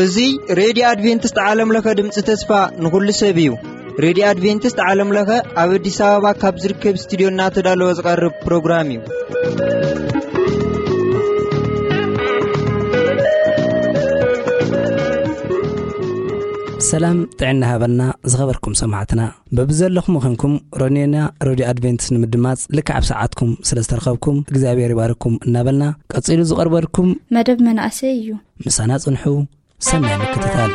እዚ ሬድዮ ኣድቬንቲስት ዓለም ለኸ ድምፂ ተስፋ ንኹሉ ሰብ እዩ። ሬድዮ ኣድቬንቲስት ዓለም ለኸ ኣብ ኣዲስ ኣበባ ካብ ዝርከብ ስቱዲዮ እናተዳለወ ዝቐርብ ፕሮግራም እዩ። ሰላም ጥዕና ሃበልና ዝኸበርኩም ሰማዕትና። በብዘለኹም ኾንኩም ሮኔና ሬድዮ ኣድቬንቲስት ንምድማጽ ልክዕ ኣብ ሰዓትኩም ስለ ዝተረኸብኩም እግዚኣብሔር ይባርኩም እናበልና፣ ቀጺሉ ዝቐርበልኩም መደብ መናእሰይ እዩ። ምሳና ጽንሑ። ሰናይ ምክትታል።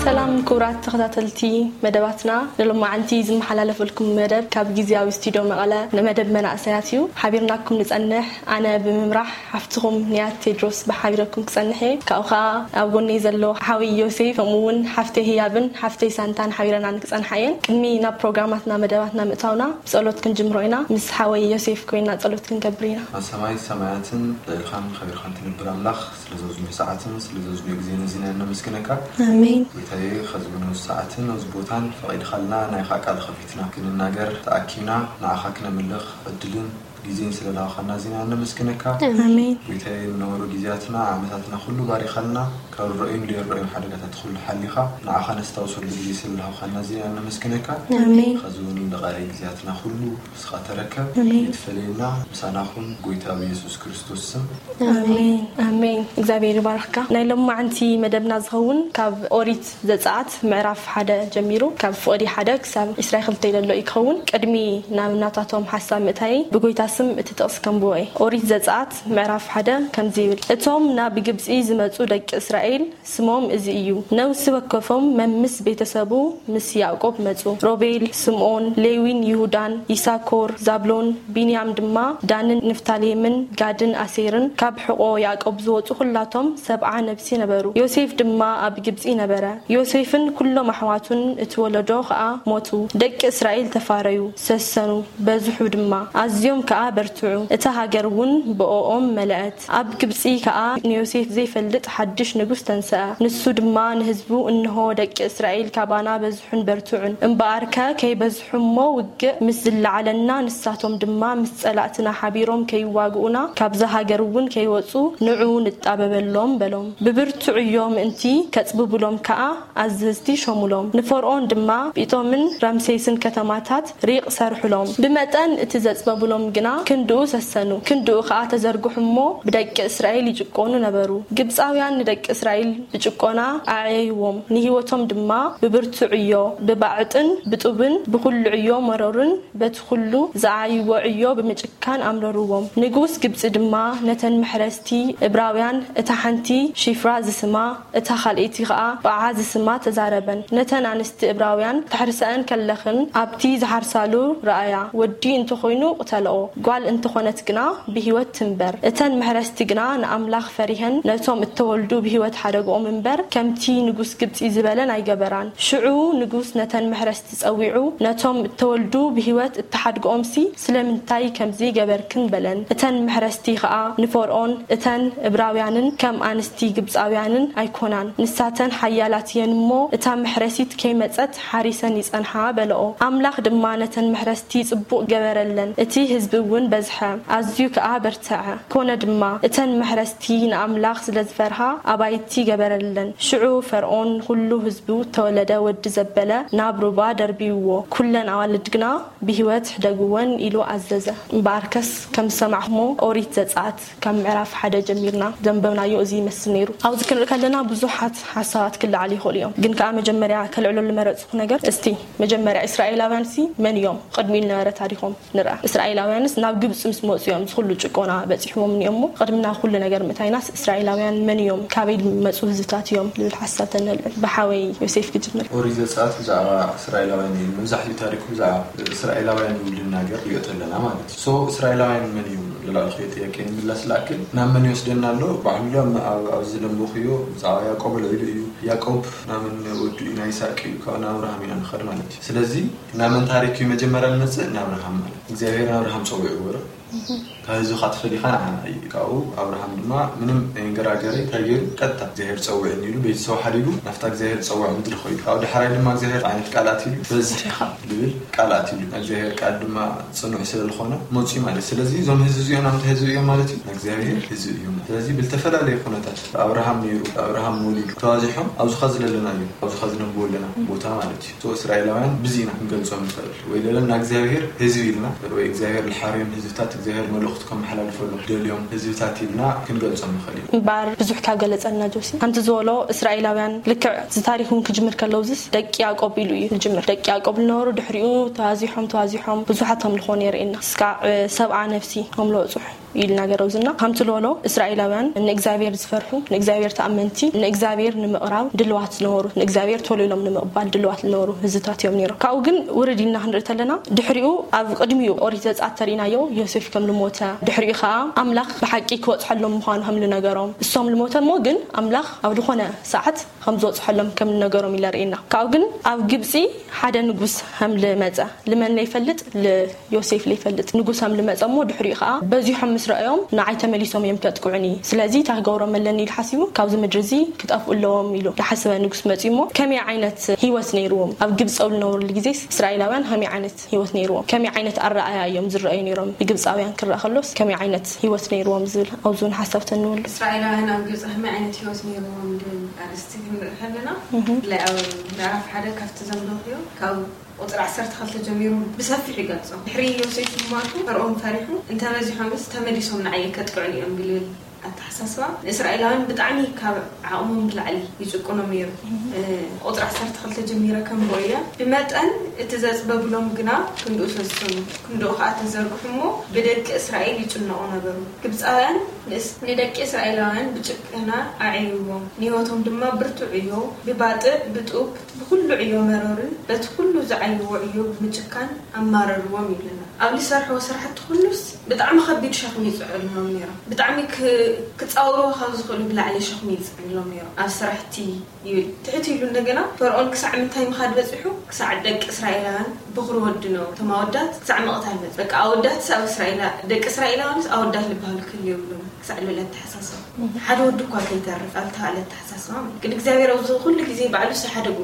ሰላም ክቡራት ተኸታተልቲ መደባትና፣ ንሎማዓንቲ ዝመሓላለፈልኩም መደብ ካብ ግዝያዊ ስቱዲዮ መቐለ ንመደብ መናእሰያት እዩ። ሓቢርናኩም ንጸንሕ፣ ኣነ ብምምራሕ ሓፍትኹም ንያት ቴድሮስ ብሓቢረኩም ክጸንሕ እየ። ካብኡ ኸኣ ኣብ ጎነይ ዘሎ ሓወይ ዮሴፍ፣ ከምኡ እውን ሓፍተይ ህያብን ሓፍተይ ሳንታን ሓቢረና ንክጸንሓ እየን። ቅድሚ ናብ ፕሮግራማትና መደባትና ምእታውና ብጸሎት ክንጅምሮ ኢና። ምስ ሓወይ ዮሴፍ ኮይና ጸሎት ክንገብር ኢና። ኣብ ሰማይ ሰማያትን ልዕልኻን ከቢርካን ትነብር ኣምላኽ፣ ስለ ዘዝኑ ሰዓትን ስለ ዘዝኑ ግዜን እዚና ነመስግነካ። ኣሜን። ጌታዬ፣ ኸዚ እውን ኣብዚ ሰዓትን ኣብዚ ቦታን ፈቒድካልና ናይኻ ቃል ኸፊትና ክንናገር ተኣኪብና ንዓኻ ክነምልኽ ዕድልን ግዜን ስለ ዝሃብካና እዚና ነመስግነካ። ኣሜን። ጌታዬ፣ ንነበሩ ግዜያትና ዓመታትና ኩሉ ባሪኻልና፣ ካብ ርኡይን ዘይርኡይን ሓደጋታት ኩሉ ሓሊኻ ንዓኻ ነስታውሰሉ ግዜ ስለ ዝሃብካና እዚና ነመስግነካ። ኣሜን። ኸዚ እውን ንቓልይ ግዜያትና ኩሉ ንስኻ ተረከብ። ኣሜን። ይትፈለየና፣ ምሳና ኩን። ጎይታ ብየሱስ ክርስቶስ ስም። ኣሜን። ኣሜን። እግዚኣብሔር ይባርኽካ። ናይ ሎማዓንቲ መደብና ዝኸውን ካብ ኦሪት ዘጸኣት ምዕራፍ ሓደ ጀሚሩ፣ ካብ ፍቕዲ ሓደ ክሳብ ዕስራ ክልተ ዘሎ እዩ ክኸውን። ቅድሚ ናብ ናታቶም ሓሳብ ምእታየይ ብጎይታ ስም እቲ ጥቕሲ ከንብቦ እየ። ኦሪት ዘጸኣት ምዕራፍ ሓደ ከምዚ ይብል፣ እቶም ናብ ግብጺ ዝመጹ ደቂ እስራኤል ስሞም እዚ እዩ። ነፍሲ ወከፎም መምስ ቤተሰቡ ምስ ያዕቆብ መጹ። ሮቤል፣ ስምዖን፣ ሌዊን ይሁዳን፣ ይሳኮር፣ ዛብሎን፣ ቢንያም ድማ፣ ዳንን ንፍታሌምን፣ ጋድን ኣሴርን፣ ካብ ሕቖ ያዕቆብ ዝወጹ ኩላቶም ሰብዓ ነፍሲ ነበሩ። ዮሴፍ ድማ ኣብ ግብጺ ነበረ። ዮሴፍን ኩሎም ኣሕዋቱን እቲ ወለዶ ኸኣ ሞቱ። ደቂ እስራኤል ተፋረዩ፣ ሰሰኑ፣ በዝሑ ድማ፣ ኣዝዮም ከኣ በርትዑ። እታ ሃገር እውን ብኦኦም መለአት። ኣብ ግብጺ ከኣ ንዮሴፍ ዘይፈልጥ ሓድሽ ንጉስ ተንሰአ። ንሱ ድማ ንህዝቡ፣ እንሆ፣ ደቂ እስራኤል ካባና በዝሑን በርትዑን። እምበኣርከ ከይበዝሑ እሞ፣ ውግእ ምስ ዝለዓለና፣ ንሳቶም ድማ ምስ ጸላእትና ሓቢሮም ከይዋግኡና፣ ካብዛ ሃገር እውን ከይወጹ፣ ንዑ ንጣበበሎም፣ በሎም። ብብርቱዕ ዕዮ ምእንቲ ከጽብቡሎም ከኣ፣ ኣዘዝቲ ሾሙሎም። ንፈርኦን ድማ ጲጦምን ራምሴስን ከተማታት ሪቕ ሰርሑሎም። ብመጠን እቲ ዘጽበቡሎም ግና ክንድኡ ሰሰኑ። ክንድኡ ኸኣ ተዘርግሑ እሞ ብደቂ እስራኤል ይጭቆኑ ነበሩ። ግብጻውያን ንደቂ እስራኤል ብጭቆና ኣዕየይዎም። ንህይወቶም ድማ ብብርቱዕ ዕዮ፣ ብባዕጥን ብጡብን ብኹሉ ዕዮ መሮርን በቲ ኹሉ ዝዓይዎ ዕዮ ብምጭካን ኣምረርዎም። ንጉስ ግብጺ ድማ ነተን መሕረስቲ እብራውያን እታ ሓንቲ ሺፍራ ዝስማ እታ ካልኣይቲ ኸኣ ጳዓ ዝስማ ተዛረበን። ነተን ኣንስቲ እብራውያን ተሕርሰአን ከለኽን፣ ኣብቲ ዝሓርሳሉ ረኣያ፣ ወዲ እንተኾይኑ ቅተልኦ፣ ጓል እንተኾነት ግና ብህይወት ትንበር። እተን መሕረስቲ ግና ንኣምላኽ ፈሪሀን፣ ነቶም እተወልዱ ብህይወት ሓደግኦም እምበር፣ ከምቲ ንጉስ ግብጺ ዝበለን ኣይገበራን። ሽዑ ንጉስ ነተን መሕረስቲ ጸዊዑ፣ ነቶም እተወልዱ ብህይወት እተሓድግኦምሲ ስለምንታይ ከምዚ ገበርክን? በለን። እተን መሕረስቲ ኸኣ ንፈርኦን፣ እተን እብራውያንን ከም ኣንስቲ ግብጻውያንን ኣይኮናን፣ ንሳተን ሓያላት እየን እሞ፣ እታ መሕረሲት ከይመጸት ሓሪሰን ይጸንሓ፣ በለኦ። ኣምላኽ ድማ ነተን መሕረስቲ ጽቡቕ ገበረለን፣ እቲ ህዝቢ እውን በዝሐ፣ ኣዝዩ ከኣ በርትዐ። ኮነ ድማ፣ እተን መሕረስቲ ንኣምላኽ ስለ ዝፈርሃ፣ ኣባይቲ ገበረለን። ሽዑ ፈርኦን ንኹሉ ህዝቡ እተወለደ ወዲ ዘበለ ናብ ሩባ ደርብይዎ፣ ኩለን ኣዋልድ ግና ብህይወት ሕደግወን ኢሉ ኣዘዘ። እምበኣርከስ ከም ዝሰማዕኹሞ ኦሪት ዘጸኣት ካብ ምዕራፍ ሓደ ጀሚርና ዘንበብናዮ እዚ ይመስል ነይሩ። ኣብዚ ክንርኢ ከለና ብዙሓት ሓሳባት ክለዓሉ ይኽእሉ እዮም። ግን ከኣ መጀመርያ ከልዕለሉ ዝመረጽኩ ነገር፣ እስቲ መጀመርያ እስራኤላውያንሲ መን እዮም? ቅድሚኡ ዝነበረ ታሪኾም ንርኣ። እስራኤላውያንስ ናብ ግብፂ ምስ መፁ እዮም ዝኩሉ ጭቆና በፂሕዎም እኒኦሞ። ቅድሚ ናብ ኩሉ ነገር ምእታይናስ እስራኤላውያን መን እዮም፣ ካበይ ዝመፁ ህዝብታት እዮም ዝብል ሓሳብ ተነልዕል። ብሓወይ ዮሴፍ ክጅምር። ኦሪት ዘጸአት ብዛዕባ እስራኤላውያን እዩ። መብዛሕትኡ ታሪኩ ብዛዕባ እስራኤላውያን እዩ ልናገር ሪኦ ተለና ማለት እዩ። ሶ እስራኤላውያን መን እዮም? ልላልኸዮ ጥያቄ ንምምላስ ላክል ናብ መን ይወስደና ኣሎ? ባዕሉ ኣብዚ ለንቦኽዮ ብዛዕባ ያዕቆብ ኣልዒሉ እዩ። ያዕቆብ ናመን ወዱ እዩ? ናይ ይስሐቅ እዩ። ካብኡ ንኣብርሃም ኢና ንኸድ ማለት እዩ። ስለዚ ናመን ታሪክ እዩ መጀመርያ ንመጽእ? ንኣብርሃም ማለት እግዚኣብሔር ንኣብርሃም ጸዊዕዎ ዶ? ካብ ህዝብኻ ተፈሊኻ ንዓና እዩ። ካብኡ ኣብርሃም ድማ ምንም ገራገረ እንታይ ገይሩ? ቀጥታ እግዚኣብሔር ጸውዕኒ ኢሉ ቤተሰቡ ሓዲጉ ናብታ እግዚኣብሔር ጸውዕ ምድሪ ኸይዱ። ካብኡ ዳሕራይ ድማ እግዚኣብሔር ዓይነት ቃል ኣትዩ በዝሕ ኢኻ ዝብል ቃል ኣትዩ። እግዚኣብሔር ቃል ድማ ጽኑዕ ስለ ዝኾነ መጽኡ ማለት። ስለዚ እዞም ህዝቢ እዚኦም ናምታ ህዝቢ እዮም ማለት እዩ። እግዚኣብሔር ህዝቢ እዮም። ስለዚ ብልተፈላለየ ኩነታት ኣብርሃም ነይሩ፣ ኣብርሃም ወሊዱ ተባዚሖም ኣብዚ ኸዚ ዘለናዮ ኣብዚ ኸዚ ነንብቦ ኣለና ቦታ ማለት እዩ። ሶ እስራኤላውያን ብዚ ኢና ክንገልጾም ንኽእል። ወይ ለለና እግዚኣብሔር ህዝቢ ኢልና ወይ እግዚኣብሔር ልሓርዮም ህዝብታት እግዚኣብሔር መልእኽቱ ከመሓላልፈሎም ደልዮም ህዝብታት ኢልና ክንገልጾም ንኽእል ኢና። እምበኣር ብዙሕ ካብ ገለጸልና ጆሲ ከምቲ ዝበሎ እስራኤላውያን ልክዕ እዚ ታሪክ እውን ክጅምር ከለውዝስ ደቂ ያዕቆብ ኢሉ እዩ ዝጅምር። ደቂ ያዕቆብ ዝነበሩ ድሕሪኡ ተባዚሖም ተባዚሖም ብዙሓት ኣምልኾ ነይሩ ኢና እስካዕ ሰብዓ ነፍሲ ኣምልኾ በጽሑ ኢልና ገረውዝና። ከምቲ ዝበሎ እስራኤላውያን ንእግዚኣብሔር ዝፈርሑ፣ ንእግዚኣብሔር ተኣመንቲ፣ ንእግዚኣብሔር ንምቕራብ ድልዋት ዝነበሩ፣ ንእግዚኣብሔር ቶሎ ኢሎም ንምቕባል ድልዋት ዝነበሩ ህዝብታት እዮም ነይሮም። ካብኡ ግን ውርድ ኢልና ክንርኢ ተለና ድሕሪኡ ኣብ ቅድሚኡ ኦሪት ዘጸኣት ተሪእናዮ ዮሴፍ ከም ዝሞተ ድሕሪኡ ከዓ ኣምላኽ ብሓቂ ክበጽሐሎም ምዃኑ ከም ዝነገሮም እሶም ዝሞተ እሞ ግን ኣምላኽ ኣብ ዝኾነ ሰዓት ከም ዝበጽሐሎም ከም ዝነገሮም ኢለ ርእየና። ካብኡ ግን ኣብ ግብጺ ሓደ ንጉስ ከም ዝመጸ ልመን ለይፈልጥ ልዮሴፍ ለይፈልጥ ንጉስ ከም ዝመጸ እሞ ድሕሪኡ ከዓ በዚሖም ምስ ረኣዮም ንዓይ ተመሊሶም እዮም ከጥቅዑኒ፣ ስለዚ እንታይ ክገብሮም ኣለኒ ኢሉ ሓሲቡ ካብዚ ምድሪ እዚ ክጠፍኡ ኣለዎም ኢሉ ዝሓሰበ ንጉስ መጺኡ እሞ ከመይ ዓይነት ህይወት ነይርዎም ኣብ ግብጺ ኣብ ዝነበሩሉ ግዜ እስራኤላውያን ከመይ ዓይነት ህይወት ነይርዎም ከመይ ዓይነት ኣረኣያ እዮም ዝረኣዩ ነይሮም ብግብፃውያን ክረኣ ከሎስ ከመይ ዓይነት ህይወት ነይርዎም ዝብል ኣብዚ እውን ሓሳብ ተንብበሉ። እስራኤላውያን ኣብ ግብፂ ከመይ ዓይነት ህይወት ነይርዎም ዝብል ኣርእስቲ ክንርኢ ከለና ብፍላይ ኣብ ምዕራፍ ሓደ ካብቲ ዘንበብክዮ ካብ ቁፅሪ ዓሰርተ ክልተ ጀሚሩ ብሰፊሑ ይገልፆ። ድሕሪ ዮሴፍ ምማቱ ፈርኦን ፈሪሑ እንተበዚሖምስ ተመሊሶም ንዓየ ከጥቅዑኒ እዮም ብልብል ኣተሓሳስባ ንእስራኤላውያን ብጣዕሚ ካብ ዓቕሞም ብላዕሊ ይጭቁኖም ነይሩ። ቁፅሪ ዓሰርተ ክልተ ጀሚረ ከንብቦ እየ። ብመጠን እቲ ዘፅበብሎም ግና ክንድኡ ሰስኑ፣ ክንድኡ ከዓ ተዘርግሑ እሞ ብደቂ እስራኤል ይጭነቑ ነበሩ። ግብፃውያን ንእስ- ንደቂ እስራኤላውያን ብጭከና ኣዕይዎም፣ ንህይወቶም ድማ ብርቱዕ ዕዮ፣ ብባጥዕ፣ ብጡብ፣ ብኩሉ ዕዮ መረሩን በቲ ኩሉ ዝዓይዎ ዕዮ ብምጭካን ኣማረርዎም ይብለና። ኣብ ዝሰርሕዎ ስራሕቲ ኩሉስ ብጣዕሚ ከቢድ ሸኽሚ ይፅዕኑሎም ነይሮም። ብጣዕሚ ክ- ክፃወርዎ ካብ ዝኽእሉ ብላዕሊ ሸኽሚ ይፅዕኑሎም ነይሮም ኣብ ስራሕቲ ይብል። ትሕት ኢሉ እንደገና ፈርኦን ክሳዕ ምንታይ ምኻድ በፂሑ? ክሳዕ ደቂ እስራኤላውያን ብኹሪ ወዲ ነው እቶም ኣወዳት ክሳዕ ምቕታል በፂሑ። በቃ ኣወዳትስ ኣብ እስራኤላ ደቂ እስራኤላውያንስ ኣወዳት ዝበሃሉ ክህልዩ የብሎም ክሳዕ ልብል ኣተሓሳስባ ሓደ ወዲ እኳ ከይተርፍ ኣብ ተባለ ኣተሓሳስባ ማለት ግን እግዚኣብሔር ኣብዚ ኩሉ ግዜ ባዕሉ ዝሓደጉ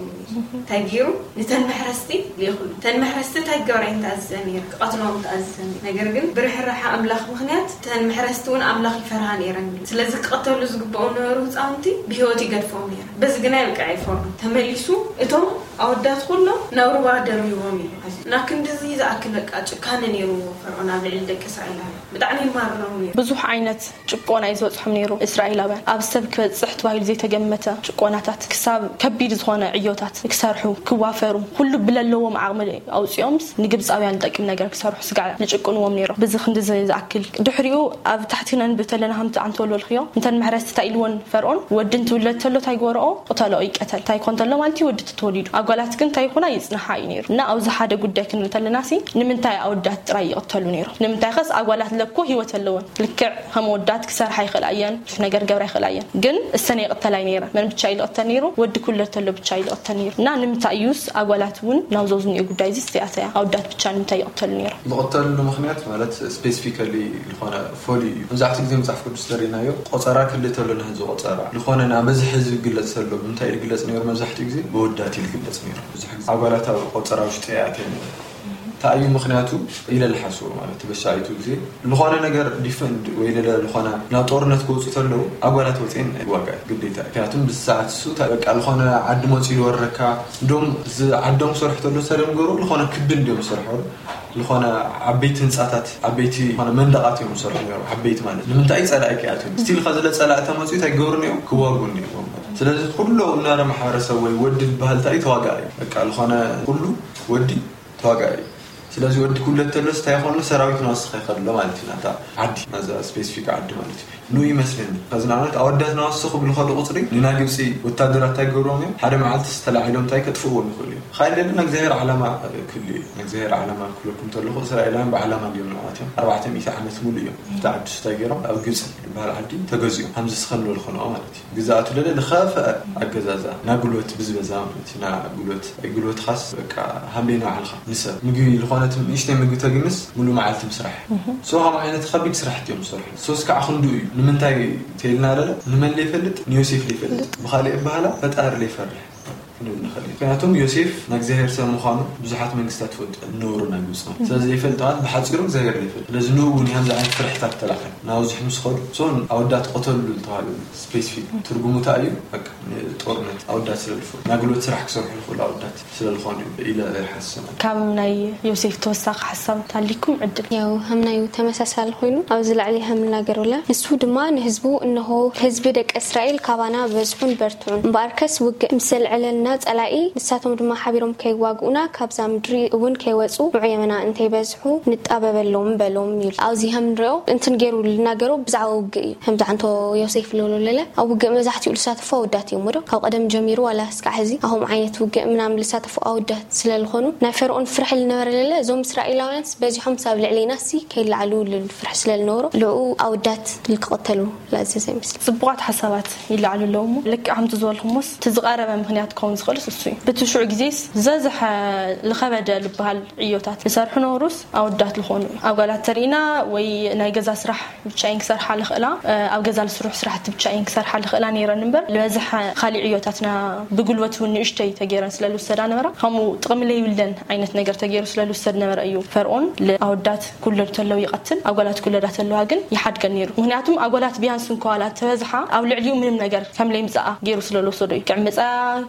እንታይ ገይሩ? ንተን መሕረስቲ ልኢኹሉ። ተን መሕረስቲ እንታይ ክገብራ እየን ተኣዚዘን ነይረን? ክቐትልኦም ተኣዚዘን ነይረን። ነገር ግን ብርሕራሓ ኣምላኽ ምኽንያት ተን መሕረስቲ እውን ኣምላኽ ይፈርሃ ነይረን። ስለዚ ክቐተሉ ዝግብኦም ነበሩ ህፃውንቲ ብህይወት ይገድፎም ነይረ። በዚ ግና ይብቅዕ ኣይፈርዱን። ተመሊሱ እቶም ኣወዳት ኩሎም ናብ ሩባ ደርብዎም እዩ። እና ክንድዚ ዝኣክል በቃ ጭካነ ነይሩ ፈርዖን ኣብ ልዕሊ ደቂ እስራኤላውያን። ብጣዕሚ ይማርሮም ነይሩ። ብዙሕ ዓይነት ጭቆና እዩ ዝበፅሖም ነይሩ። እስራኤላውያን ኣብ ሰብ ክበፅሕ ተባሂሉ ዘይተገመተ ጭቆናታት ክሳብ ከቢድ ዝኾነ ዕዮታት ክሰርሑ ክዋፈሩ ኩሉ ብለለዎም ዓቕሚ ኣውፂኦምስ ንግብፃውያን ዝጠቅም ነገር ክሰርሑ ስጋዕ ዝጭቁንዎም ነይሮም። ብዚ ክንዲ ዝ- ዝኣክል ድሕሪኡ ኣብ ታሕቲ ነንብብ ተለና ከምቲ ኣንተ ወልወልክዮ እንተን መሕረስቲ እንታይ ኢልዎን ፈርዖን ወዲ እንትውለድ ተሎ እንታይ ግበርኦ ቅተሎ ይቀተል እንታይ ኮን ተሎ ማለት እዩ ወዲ ተወሊዱ ኣጓላት ግን እንታይ ይኹና ይፅንሓ እዩ ነይሩ እና ኣብዚ ሓደ ጉዳይ ክንርኢ ተለና ሲ ንምንታይ ኣወዳት ጥራይ ይቕተሉ ነይሮም ንምንታይ ኸስ ኣጓላት ለኮ ህይወት ኣለወን ልክዕ ከም ወዳት ክሰርሓ ይኽእላ እየን ብዙሕ ነገር ገብራ ይኽእላ እየን ግን እሰን ይቕተላ ነይረ መን ብቻ ይልቕተል ነይሩ ወዲ ክውለድ ተሎ ብቻ ይልቕተል ነይሩ እና ንምንታይ እዩስ ኣጓላት እውን ናብ ዘዝንኡ ጉዳይ እዚ ስተያተያ ኣወዳት ብቻ ንምንታይ ይቕተሉ ነይሮም ዝቕተልሉ ምኽንያት ማለት ስፔሲፊካሊ ዝኾነ ፎሊ እዩ መብዛሕትኡ ግዜ መፅሓፍ ቅዱስ ተሪእናዮ ቆፀራ ክልእ ተሎ ንህዝቢ ቆፀራ ዝኾነ ናብ በዝሒ ህዝቢ ይግለፅ ተሎ ብምንታይ ይግለፅ ነይሩ መብዛሕትኡ ግዜ ብወዳት ይግለፅ ነይሩ ብዙሕ ግዜ ኣጓላት ኣብ ቆፀራ ውሽጢ ይኣተን እንታይ እዩ ምኽንያቱ ኢለ ዝሓስቦ ማለት በሻዒቱ ግዜ ዝኾነ ነገር ዲፈንድ ወይ ለለ ዝኾነ ናብ ጦርነት ክወፁ ተለዉ ኣጓላት ወፅኤን ዋጋ እዩ ግዴታ እዩ ምክንያቱም ብዚ ሰዓት እሱ እንታይ በቃ ዝኾነ ዓዲ መፂኡ ዝወረካ እንዶም ዓዶም ክሰርሑ ተሎ ሰለም ገሩ ዝኾነ ክቢ እንዲዮም ዝሰርሑ ዝኾነ ዓበይቲ ህንፃታት ዓበይቲ ዝኾነ መንደቓት እዮም ዝሰርሑ ነሩ ዓበይቲ ማለት ንምንታይ ፀላኢ ክኣትዮም ስቲል ከዚ ለፀላኢ ተመፅኡ እንታይ ክገብሩ ነዮም ክዋጉ ነዮም ስለዚ ኩሉ እናረ ማሕበረሰብ ወይ ወዲ ዝበሃል እንታይ ተዋጋኢ እዩ በቃ ዝኾነ ኩሉ ወዲ ተዋጋኢ እዩ ስለዚ ወዲ ክውለድ ተሎስ እንታይ ይኾኑ? ሰራዊት ናወስኸ ይኸድሎ ማለት እዩ። ናታ ዓዲ፣ ናዛ ስፔሲፊክ ዓዲ ማለት እዩ። ኑ ይመስለኒ። ከዚ ንኣብነት ኣወዳት ናወስኸ ክብሉ ከሉ ቁፅሪ ንና ግብፂ ወታደራት እንታይ ገብሮም እዮም? ሓደ መዓልቲ ዝተላዒሎም እንታይ ከጥፍዎም ይኽእሉ እዮም። ኻይል ደሊ ንእግዚኣብሔር ዓላማ ክህሉ እዩ። ንእግዚኣብሔር ዓላማ ክብለኩም ተለኹ እስራኤላውያን ብዓላማ እንዲዮም ንዋት እዮም። ኣርባዕተ ሚእቲ ዓመት ሙሉ እዮም። እቲ ዓዲ ሽታ ገይሮም ኣብ ግብፂ ዝበሃል ዓዲ ተገዚኦም። ከምዚ ስኸን ዝበልኮ ንኦ ማለት እዩ። ግዛኣቱ ለለ ዝኸፍአ ኣገዛዛ፣ ናጉልበት ብዝበዛ ማለት እዩ። ናጉልበት፣ ጉልበት ኻስ በቃ ሃምቤና ባዕልኻ ንሰብ ምግቢ ዝኾነት ንእሽተይ ምግቢ ተግንስ ሙሉ መዓልቲ ምስራሕ። ሶ ከም ዓይነት ከቢድ ስራሕቲ እዮም ዝሰርሑ። ሶስ ከዓ ክንዱ እዩ። ንምንታይ ተይልና ለለ ንመን ለይፈልጥ ንዮሴፍ ለይፈልጥ ብኻሊእ ባህላ ፈጣሪ ለይፈርሕ ክንብል ንኽእል እዩ። ምክንያቱም ዮሴፍ ናይ እግዚኣብሔር ሰብ ምዃኑ ብዙሓት መንግስታት ትፈልጡ ነበሩ ናይ ግብፂ ማለት። ስለዚ ዘይፈልጥ ማለት ብሓፂሩ እግዚኣብሔር ዘይፈልጥ። ስለዚ ንኡ እውን ከምዚ ዓይነት ፍርሕታት ተላዕለ ናብዚ ምስ ኸዱ ሶን ኣወዳት ቆተሉ ዝተባሃሉ ስፔሲፊክ ትርጉሙ እንታይ እዩ? በቃ ንጦርነት ኣወዳት ስለ ዝፈልጡ ናይ ጉልበት ስራሕ ክሰርሑ ይኽእሉ ኣወዳት ስለ ዝኾኑ እዩ ኢለ ይሓስብ። ካብ ናይ ዮሴፍ ተወሳኺ ሓሳብ ታሊኩም ዕድል። ያው ሀምናዩ ተመሳሳሊ ኮይኑ ኣብዚ ላዕሊ ሀምናገር ብለ ንሱ ድማ ንህዝቡ እንሆ ህዝቢ ደቂ እስራኤል ካባና በዝሑን በርትዑን እምበኣርከስ ውግእ ምስ ዘልዐለልና ጸላኢ ንሳቶም ድማ ሓቢሮም ከይዋግኡና ካብዛ ምድሪ እውን ከይወጹ ንዑ የመና እንተይበዝሑ ንጣበበሎም በሎም ይብል። ኣብዚ ሀም ንሪኦ እንትን ገይሩ ልናገሮ ብዛዕባ ውግእ እዩ። ከምዚ ዓንቶ ዮሴፍ ልብሎ ለለ ኣብ ውግእ መብዛሕትኡ ልሳተፉ ኣወዳት እዮም ወዶ ካብ ቀደም ጀሚሩ ዋላ እስካዕ ሕዚ ኣኹም ዓይነት ውግእ ምናምን ልሳተፉ ኣወዳት ስለ ዝኾኑ ናይ ፈርኦን ፍርሒ ልነበረ ለለ እዞም እስራኤላውያንስ በዚሖም ሳብ ልዕሌና ሲ ከይለዓሉ ልብል ፍርሒ ስለ ልነበሮ ልዕኡ ኣወዳት ልክቐተሉ ለኣዘዘ ይመስል። ጽቡቓት ሓሳባት ይለዓሉ ኣለዉ እሞ ልክዕ ከምቲ ዝበልኩሞስ እቲ ዝቐረበ ምኽንያት ክኸውን ዝኽእልስ እሱ እዩ። ብቲ ሽዑ ግዜስ ዝበዝሐ ዝኸበደ ዝበሃል ዕዮታት ዝሰርሑ ነበሩስ ኣወዳት ዝኾኑ እዩ። ኣብ ጓላት ተርኢና ወይ ናይ ገዛ ስራሕ ብቻ እየን ክሰርሓ ልኽእላ ኣብ ገዛ ዝስርሑ ስራሕቲ ብቻ እየን ክሰርሓ ልኽእላ ነይረን እምበር ዝበዝሐ ካሊእ ዕዮታትና ብጉልበት እውን ንእሽተይ ተገይረን ስለ ዝውሰዳ ነበራ። ከምኡ ጥቕሚ ለይብለን ዓይነት ነገር ተገይሩ ስለ ዝውሰድ ነበረ እዩ ፈርኦን ንኣወዳት ክውለዱ ተለው ይቐትል፣ ኣጓላት ክውለዳ ተለዋ ግን ይሓድገን ነይሩ። ምክንያቱም ኣጓላት ቢያንስ እንኳ ዋላ ተበዝሓ ኣብ ልዕሊኡ ምንም ነገር ከም ለይምፅኣ ገይሩ ስለ ዝወሰዶ እዩ። ክዕምፃ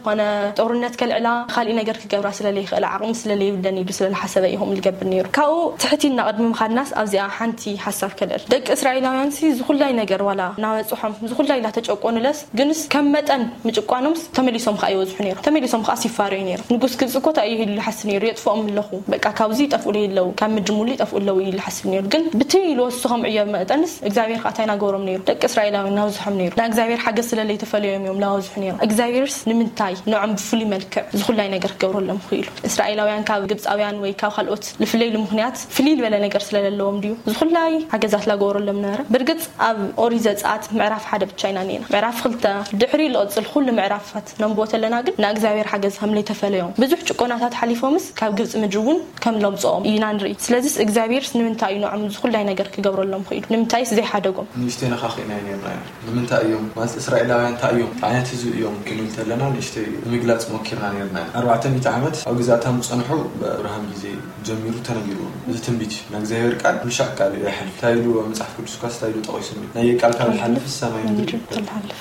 ኮነ ጦርነት ከልዕላ ካሊእ ነገር ክገብራ ስለ ለይኽእላ ዓቕሚ ስለ ለይብለን ኢሉ ስለ ዝሓሰበ እዩ ከምኡ ዝገብር ነይሩ። ካብኡ ትሕት ኢልና ቅድሚ ምኻድናስ ኣብዚኣ ሓንቲ ሓሳብ ከልዕል። ደቂ እስራኤላውያን ሲ ዝኹላይ ነገር ዋላ እናበፅሖም ዝኹላይ እናተጨቆኑለስ ግንስ ከም መጠን ምጭቋኖምስ ተመሊሶም ከዓ ይወዝሑ ነይሮም። ተመሊሶም ከዓ ሲፋረዩ ነይሮም። ንጉስ ግብፂ እኮ እንታይ እዩ ኢሉ ይሓስብ ነይሩ? የጥፍኦም ኣለኹ፣ በቃ ካብዚ ይጠፍኡ ኣለዉ፣ ካብ ምድሪ ሙሉ ይጠፍኡ ኣለዉ ኢሉ ይሓስብ ነይሩ። ግን ብቲ ኢሉ ወሱ ከም ዕዮ መጠንስ እግዚኣብሔር ከዓ እንታይ ናገበሮም ነይሩ? ደቂ እስራኤላውያን ናብዝሖም ነይሩ። ንእግዚኣብሔር ሓገዝ ስለ ለይተፈለዮም እዮም ናበዝሑ ነይሮም። እግዚኣብሔርስ ንምንታይ ንዖም ብፍሉይ መልክዕ ዝኹላይ ነገር ክገብረሎም ክኢሉ? እስራኤላውያን ካብ ግብፃውያን ወይ ካብ ካልኦት ልፍለይሉ ምክንያት ፍልይ ዝበለ ነገር ስለ ዘለዎም ድዩ? ዝኹላይ ሓገዛት ላገበረሎም ነበረ። ብርግፅ ኣብ ኦሪት ዘፀኣት ምዕራፍ ሓደ ብቻ ኢና ኔና። ምዕራፍ ክልተ ድሕሪ ልቕፅል ኩሉ ምዕራፋት ነንብቦ ተለና ግን ንእግዚኣብሔር ሓገዝ ከም ለይተፈለዮም ብዙሕ ጭቆናታት ሓሊፎምስ ካብ ግብፂ ምድሪ እውን ከም ለምፅኦም ኢና ንርኢ። ስለዚስ እግዚኣብሔርስ ንምንታይ እዩ ንዖም ዝኹላይ ነገር ክገብረሎም ክኢሉ? ንምንታይስ ዘይሓደጎም? ንእሽተይ ነኻኺእናዮ ኔርና ኢና። ንምንታይ እዮም ማለት እስራኤላውያን እንታይ እዮም ዓይነት ህዝቢ እዮም ክንብል ተለና ንእሽተይ ንምግላፅ ሞኪርና ኔርና ኢና። ኣርባዕተ ሚእቲ ዓመት ኣብ ግዛእታም ዝፀንሑ ብኣብርሃም ግዜ ጀሚሩ ተነጊርዎም እዚ ትንቢት እዩ። ናይ እግዚኣብሔር ቃል ብሻዕ ቃል እዩ ኣይሓልፍ። እንታይ ኢሉ መፅሓፍ ቅዱስ እኳ እንታይ ኢሉ ጠቒሱ? ናይ ቃል ካብ ዝሓልፍ ሰማይ ምድሪ ካብ ዝሓልፍ።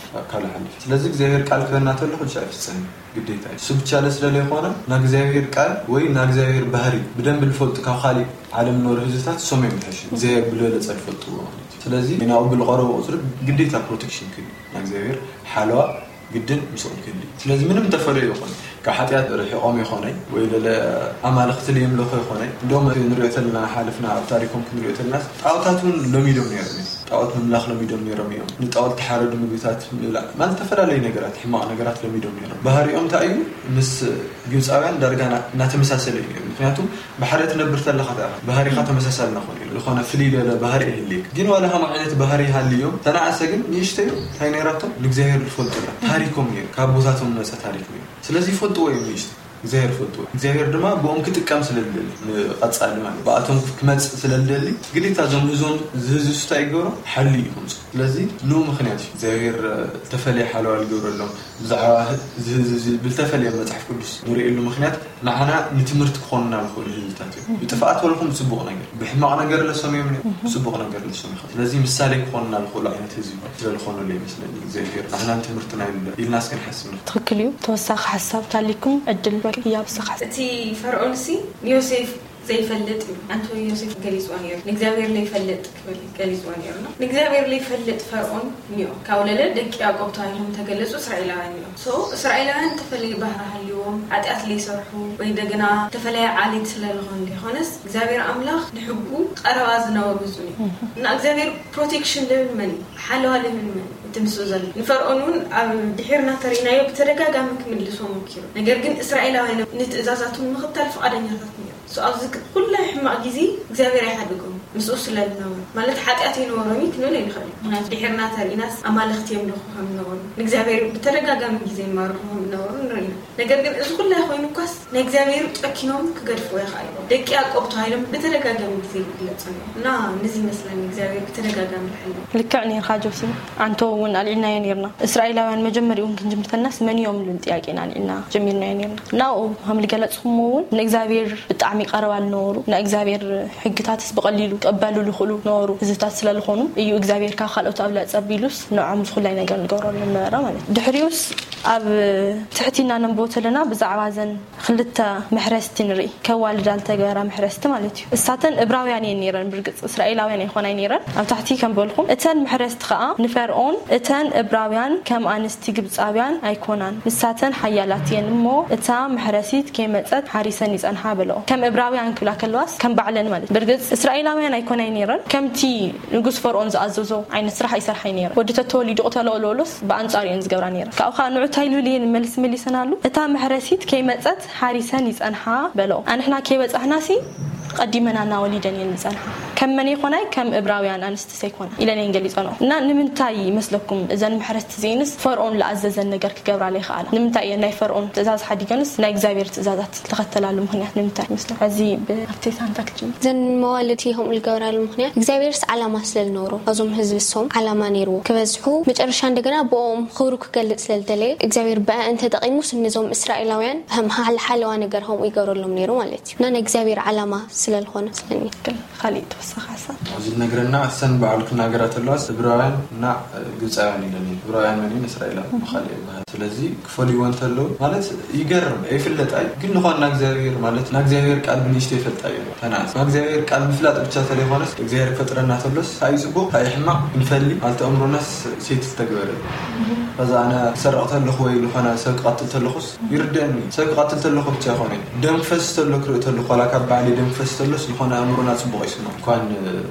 ስለዚ እግዚኣብሔር ቃል ክበና ተሎ ኩልሻዕ ይፍፀም እዩ። ግዴታ እዩ። እሱ ብቻ ለ ስለለይኮነ ናይ እግዚኣብሔር ቃል ወይ ናይ እግዚኣብሔር ባህሪ ብደንብ ልፈልጡ ካብ ካሊእ ዓለም ንነብሩ ህዝብታት እሶም እዮም ዝሕሹ እግዚኣብሔር ብልበለፀ ልፈልጥዎ ማለት እዩ። ስለዚ ናብኡ ብልቐረቡ ቁፅሪ ግዴታ ፕሮቴክሽን ክህሉ ናይ እግዚኣብሔር ሓለዋ ግድን ምስኦም ክህሉ እዩ። ስለዚ ምንም ተፈለዩ ይኾን ካብ ሓጢኣት ርሒቖም ይኾነይ ወይ ለለ ኣማልኽቲ ለየምለኹ ይኾነይ እንደውም ንሪኦ ተለና ሓለፍና ኣብ ታሪኮም ክንሪኦ ተለና ጣዖታት እውን ለሚዶም ነይሮም እዮም። ጣዖት ምምላኽ ለሚዶም ነይሮም እዮም። ንጣዖት ተሓረዱ ምግብታት ምብላዕ ማለት ዝተፈላለዩ ነገራት ሕማቕ ነገራት ለሚዶም ነይሮም። ባህሪኦም እንታይ እዩ? ምስ ግብፃውያን ዳርጋ እናተመሳሰለ እዩ ነይሩ። ምክንያቱ ብሓደ ትነብር ተለኻ ታ ባህሪኻ ተመሳሳሊ ናኾነ እዩ ዝኾነ ፍልይ ለለ ባህሪ ይህልየክ። ግን ዋላ ከም ዓይነት ባህሪ ይሃልዮም ተናኣሰ ግን ንእሽተዩ እንታይ ነይራቶም ንእግዚኣብሔር ዝፈልጡላ ታሪኮም ነይሩ ካብ ቦታቶም መፀ ታሪክ ነይሩ። ስለዚ ይፈልጥዎ እዮም ንእሽተ እግዚኣብሔር ፈልጥዎ እግዚኣብሔር ድማ ብኦም ክጥቀም ስለ ዝደሊ ንቐጻሊ ማለት ብኣቶም ክመጽእ ስለ ዝደሊ ግዴታ እዞም ህዞም ዝህዝሱ እንታይ ይገብሮም ሓሊ እዩ ከምጽኡ። ስለዚ ንኡ ምኽንያት እዩ እግዚኣብሔር ዝተፈለየ ሓለዋ ዝገብረሎም ብዛዕባ ዝህዝዚ ብዝተፈለየ መጽሓፍ ቅዱስ ንርእየሉ ምኽንያት ንዓና ንትምህርቲ ክኾኑና ዝኽእሉ ህዝብታት እዮም። ብጥፍኣት ወልኹም ብጽቡቕ ነገር ብሕማቕ ነገር ለሰምዮም ብጽቡቕ ነገር ለሰም ይኽእል። ስለዚ ምሳሌ ክኾኑና ዝኽእሉ ዓይነት ህዝቢ ስለ ዝኾኑ ለ ይመስለኒ እግዚኣብሔር ንዓና ንትምህርትና ኢሉ ኢልናስ ክንሓስብ ንኽእል። ትኽክል እዩ። ተወሳኺ ሓሳብ ታሊኩም ዕድል ወኪ ያብስኻ። እቲ ፈርዖንሲ ንዮሴፍ ዘይፈልጥ እዩ። ኣንቶኒ ዮሴፍ ገሊጽዋ ነይሩ። ንእግዚኣብሔር ዘይፈልጥ ክብል ገሊጽዋ ነይሩ። ንእግዚኣብሔር ዘይፈልጥ ፈርዖን እኒኦ። ካብ ወለደ ደቂ ያዕቆብ ተባሂሎም ተገለጹ እስራኤላውያን እዮም። So እስራኤላውያን ተፈለየ ባህሪ ሃልዎም፣ ሓጢኣት ዘይሰርሑ ወይ እንደገና ተፈለየ ዓሌት ስለዝኾኑ ዘይኮነስ እግዚኣብሔር ኣምላኽ ንሕጉ ቀረባ ዝነበሩ ህዝቢ እዩ። እና እግዚኣብሔር ፕሮቴክሽን ልብል መን እዩ? ሓለዋ ልብል መን እዩ? እቲ ምስኡ ዘሎ ንፈርዖን እውን ኣብ ድሒርና ተሪእናዮ ብተደጋጋሚ ክምልሶ ሞኪሩ። ነገር ግን እስራኤላውያን ንትእዛዛቱ ንምኽታል ፍቓደኛታት ነይሩ። So ኣብዚ ኩላይ ሕማቕ ግዜ እግዚኣብሔር ኣይሓደጎም ምስኡ ስለ ዝነበሩ ማለት ሓጢኣት ኣይነበሮም እዩ ክንብል ኣይንኽእል። ምክንያቱ ድሒርና ተሪእናስ ኣማልኽቲ የምልኹ ከም ዝነበሩ ንእግዚኣብሔር ብተደጋጋሚ ግዜ ይማርሩ ከም ዝነበሩ ንርኢ ኢና። ነገር ግን እዚ ኩላይ ኮይኑ እኳስ ናይ እግዚኣብሔር ጨኪኖም ክገድፍዎ ይኽኣሉ። ደቂ ያዕቆብ ተባሂሎም ብተደጋጋሚ ግዜ ይግለጹ ነይሩ እና ነዚ ይመስለኒ እግዚኣብሔር ብተደጋጋሚ ዝሓለ። ልክዕ ነርካ ጆሲ። ኣንቶ እውን ኣልዒልናዮ ነርና። እስራኤላውያን መጀመሪኡ እውን ክንጅምር ተለናስ መን እዮም ዝብል ጥያቄ ኢና ኣልዒልና ጀሚርናዮ ነርና። ናብኡ ከም ዝገለጽኩሞ እውን ንእግዚኣብሔር ብጣዕሚ ቀረባ ዝነበሩ፣ ናይ እግዚኣብሔር ሕግታትስ ብቐሊሉ ክቕበሉ ዝኽእሉ ነበሩ ህዝብታት ስለ ዝኾኑ እዩ እግዚኣብሔር ካብ ካልኦት ኣብላጽ ኣቢሉስ ንዖም ዝኹላይ ነገር ንገብረሎም ነበረ ማለት እዩ። ድሕሪኡስ ኣብ ትሕቲና ነንብቦ ተለና ብዛዕባ ዘን ክልተ መሕረስቲ ንርኢ፣ ከዋልዳ ዝተገበራ መሕረስቲ ማለት እዩ። እሳተን እብራውያን እየን ነይረን። ብርግጽ እስራኤላውያን ኣይኮናይ ነይረን። ኣብ ታሕቲ ከም በልኩም እተን መሕረስቲ ኸኣ ንፈርኦን እተን እብራውያን ከም ኣንስቲ ግብጻውያን ኣይኮናን፣ ንሳተን ሓያላት እየን እሞ እታ መሕረሲት ከይመጸት ሓሪሰን ይጸንሓ በለኦ። ከም እብራውያን ክብላ ከለዋስ ከም ባዕለን ማለት። ብርግጽ እስራኤላውያን ኣይኮናይ ነይረን። ከምቲ ንጉስ ፈርኦን ዝኣዘዞ ዓይነት ስራሕ ኣይሰርሓይ ነይረን። ወዲ ተተወሊዱ ቅተሎ ለበሎስ ብኣንጻሩ እየን ዝገብራ ነይረን። ካብኡ ኸኣ ንዑ እንታይ ልብል እየን መልስ መሊሰናሉ? እታ መሕረሲት ከይመጸት ሓሪሰን ይጸንሓ በለኦ። ኣንሕና ከይበጻሕናሲ ቀዲመናና ወሊደን እየን ዝጸንሓ። ከም መን ይኾናይ? ከም እብራውያን ኣንስቲ ሰይኮና ኢለን እየን ገሊጸንኦ። እና ንምንታይ ይመስለኩም እዘን መሕረስቲ እዚኤንስ ፈርኦን ዝኣዘዘን ነገር ክገብራ ዘይኸኣላ? ንምንታይ እየን ናይ ፈርኦን ትእዛዝ ሓዲገንስ ናይ እግዚኣብሔር ትእዛዛት ዝተኸተላሉ ምኽንያት ንምንታይ ይመስለኩም? ሕዚ ብኣርቴታ እንታይ ክትጅምር? እዘን መዋልድቲ ከምኡ ዝገብራሉ ምኽንያት እግዚኣብሔርስ ዓላማ ስለ ዝነበሮ ኣብዞም ህዝቢ እሶም ዓላማ ነይርዎ ክበዝሑ መጨረሻ እንደገና ብኦም ክብሩ ክገልጽ ስለ ዝደለየ እግዚኣብሔር ብኣን ተጠቒሙስ ነዞም እስራኤላውያን ከም ሓል- ሓለዋ ነገር ከምኡ ይገብረሎም ነይሩ ማለት እዩ። እና ናይ እግዚኣብሔር ዓላማ ስለ ዝኾነ ስለኒ። ካሊእ ተወሳኺ ሓሳብ? ኣብዚ ዝነግረና እሰን በዓሉ ክናገራ ተለዋስ እብራውያን እና ግብፃውያን ኢለን እየን። እብራውያን መን እየን? እስራኤላውያን ብኻሊእ ይበሃል። ስለዚ ክፈልይዎ እንተለዉ ማለት ይገርም ኣይፍለጥ ኣይ ግን ዝኾን ናእግዚኣብሔር ማለት ናእግዚኣብሔር ቃል ብንእሽቶ ይፈልጣ እዩ። ተናእስ ናእግዚኣብሔር ቃል ምፍላጥ ብቻ ተለይኮነስ እግዚኣብሔር ክፈጥረና ተሎስ እንታይ እዩ ፅቡቅ እንታይ እዩ ሕማቅ ክንፈሊ ማለት ኣእምሮናስ ሴት ዝተግበረ እዩ። ከዛ ኣነ ክሰርቕ ተለኹ ወይ ዝኾነ ሰብ ክቐትል ተለኹስ ይርደአኒ። ሰብ ክቐትል ተለኹ ብቻ ይኾነ ደም ክፈስ ተሎ ክርኢ ተለኹ ዋላ ካብ ባዕሊ ደም ክፈስ ተሎስ ዝኾነ ኣእምሮና ፅቡቅ ይስምዖ እንኳን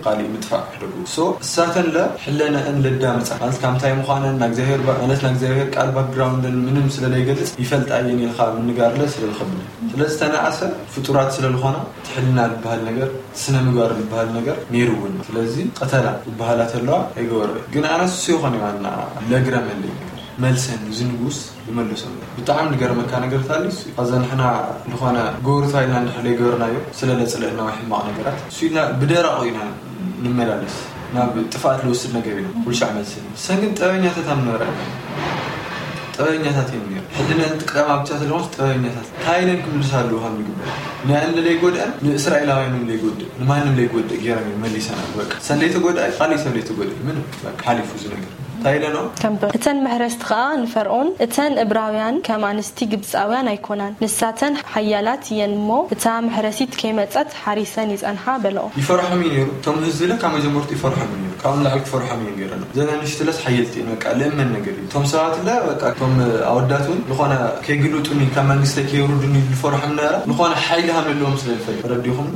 ካሊእ ምጥፋእ ሕደጉ so እሳተን ለ ሕለነአን ለዳምፃ ማለት ካብ እንታይ ምዃነን ናእግዚኣብሔር ባ- ማለት ናእግዚኣብሔር ቃል ባክግራውንደን ምንም ስለለይገልፅ ይፈልጣ እየን ኢልካ ምንጋርለ ስለዝኸብድ ስለዚ ተነኣሰ ፍጡራት ስለዝኾና ትሕልና ዝበሃል ነገር ስነ ምግባር ዝበሃል ነገር ነይሩ እውን ስለዚ ቀተላ ዝበሃላ ተለዋ ኣይገበረ ግን ኣነስ እሱ ይኾን ዋና ለግረመለይ ነገር መልሰን እዚ ንጉስ ይመልሶም ብጣዕሚ ዝገርመካ ነገር ታሊ እሱ እዩ። ከዛ ንሕና ዝኾነ ጎርታ ኢልና እንድሕር ዘይገበርናዮ ስለ ለፅልእና ወይ ሕማቕ ነገራት እሱ ኢልና ብደራቑ ኢና ንመላለስ ናብ ጥፍኣት ልወስድ ነገር ኢና ኩልሻዕ መልሲ እዩ። ሰን ግን ጠበኛታት ኣብ ነበረ ጠበኛታት እዮም ነይሩ ሕልነን ጥቅዳማ ብቻ ስለሆንስ ጠበኛታት እንታይ ኢለን ክምልሳ ኣለዎ ካብ ንግበር ንኣን ለይጎድአን ንእስራኤላውያን ለይጎድእ ንማንም ለይጎድእ ገይረን እዮም መሊሰናል በቃ ሰን ለይተጎድኣ ካሊእ ሰብ ለይተጎድእ ምንም በቃ ሓሊፉ እዚ ነገር እንታይ ኢለኖ? ከም በ- እተን መሕረስቲ ኸኣ ንፈርኦን፣ እተን እብራውያን ከም ኣንስቲ ግብጻውያን ኣይኮናን፣ ንሳተን ሓያላት እየን እሞ፣ እታ መሕረሲት ከይመጸት ሓሪሰን ይጸንሓ በለኦ። ይፈርሖም እዩ ነይሩ። እቶም ህዝቢ ለ ካብ መጀመርቱ ይፈርሖም እዩ ነይሩ። ካብኡ ንላዕሊ ክፈርሖም እዩ ገይረሎም። እዘን ኣንሽቲ ለስ ሓየልቲ እየን። በቃ ልእመን ነገር እዩ። እቶም ሰባት ለ በቃ እቶም ኣወዳት እውን ዝኾነ ከይግልጡኒ ካብ መንግስተይ ከየውርዱኒ ዝፈርሖም ነበረ። ዝኾነ ሓይሊ ሃም ዘለዎም ስለ ዝፈልጥ ተረዲኹም።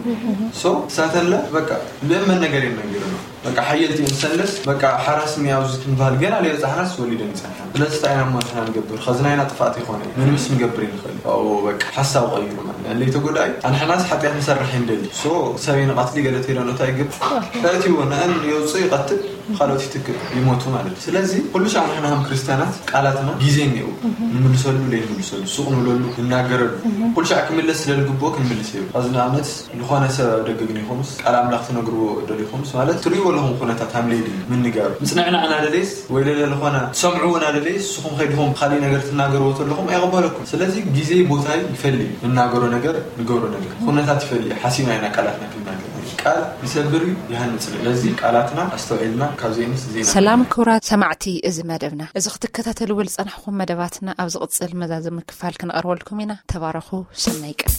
ሶ እሳተን ለ በቃ ልእመን ነገር እዮም ነጊሮም። በቃ ሓየልቲ እየን ሰለስ በቃ ሓራስኒ ኣብዚ ክንበሃል ገና ለይበፃሕናስ ወሊደን ይፀንሓን። ስለዚ እንታይ ኢና እሞ ንሕና ንገብር? ኸዚ ናይና ጥፍኣት ይኾነ እዩ። ምንምስ ክንገብር ይንኽእል እዩ። ኣብኡ በቃ ሓሳብ ቀይሩ ማለት እዩ። ለይተጎዳኢ ኣንሕናስ ሓጢኣት ንሰርሕ ይንደሊ። ሶ ሰብ ይንቐትሊ ገለ ተይለኖ እንታይ ይገብር? ከእትይዎ ንአን የውፅእ ይቐትል ካልኦት ይትክእ ይሞቱ ማለት እዩ። ስለዚ ኩሉ ሻዕ ንሕና ከም ክርስትያናት ቃላትና ግዜ እኒኦ ንምልሰሉ ለይንምልሰሉ ሱቕ ንብለሉ ንናገረሉ ኩሉ ሻዕ ክምለስ ስለ ዝግብኦ ክንምልስ እዩ። ኸዚ ንኣብነት ዝኾነ ሰብ ኣብ ደገ ግን ይኹንስ ቃል ኣምላኽ ትነግርዎ ደሊኹምስ ማለት ትርእይዎ ኣለኹም ኩነታት ሃምለይ ድዩ ምንጋሩ ምጽንዕና እናደለየስ ወይ ለለ ዝኾነ ትሰምዕዎ እናደለየስ ንስኹም ከይድኹም ካሊእ ነገር ትናገርዎ ተለኹም ኣይቕበለኩም። ስለዚ ግዜ ቦታይ ይፈሊ እዩ። ንናገሮ ነገር ንገብሮ ነገር ኩነታት ይፈሊ እዩ። ሓሲብና ኢና ቃላትና ክንናገር ቃል ይሰብር እዩ ይሃንጽ እዩ። ስለዚ ቃላትና ኣስተውዒልና ካብ ዘይንስ ዜና ሰላም ክቡራት ሰማዕቲ እዚ መደብና እዚ ክትከታተልዎ ዝጸናሕኩም መደባትና ኣብ ዝቕጽል መዛዘሚ ክፋል ክንቐርበልኩም ኢና። ተባረኹ። ሰናይ ቀን።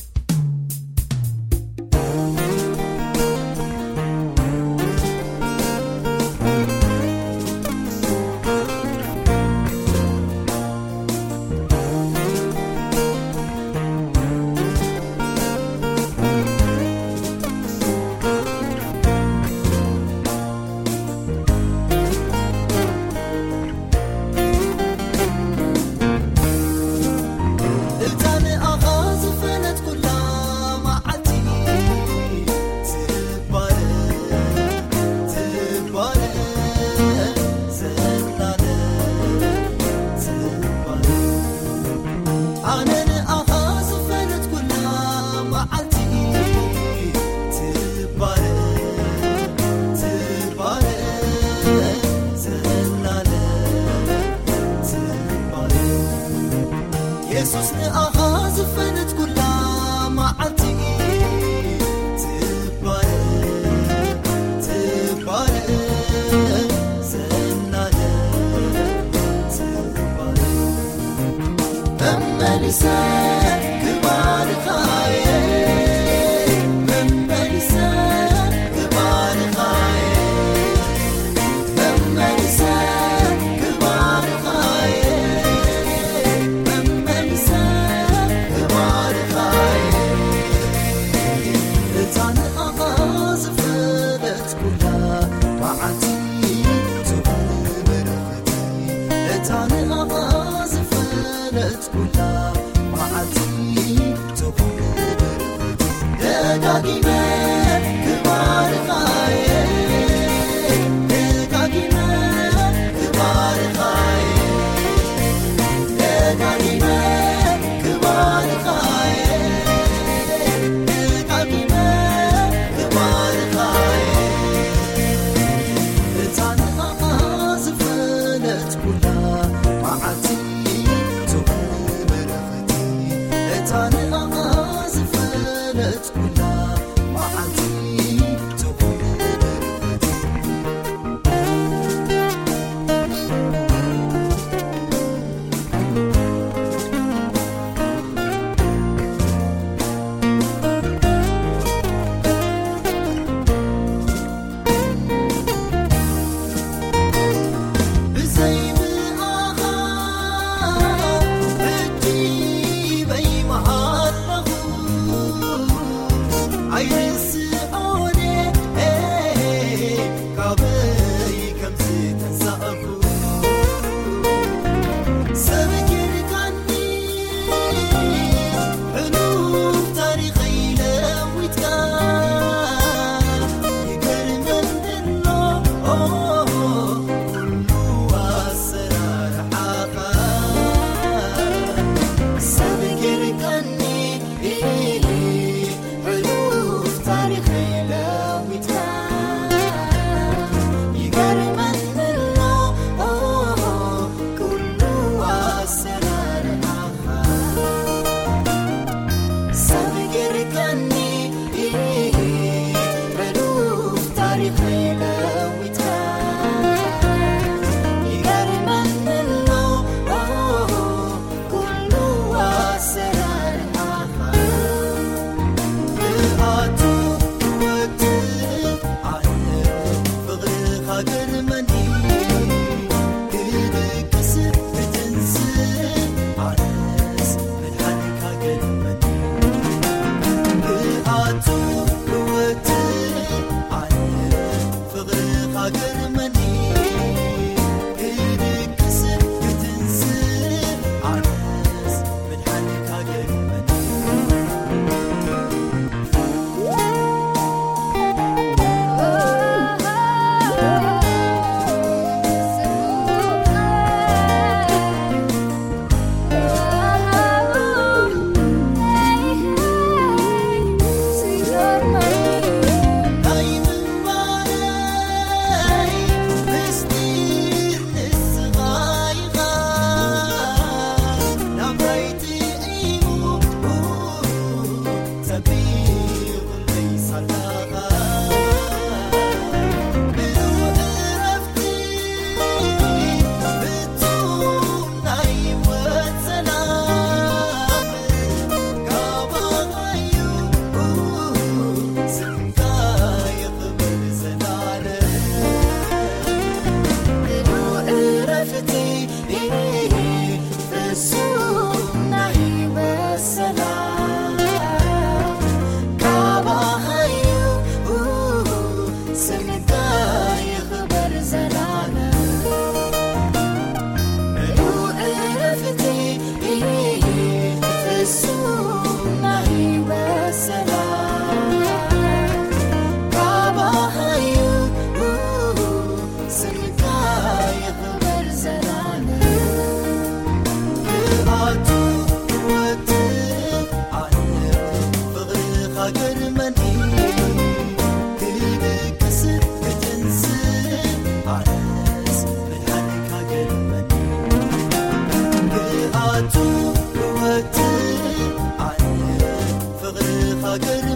ፍቕሪ ሃገር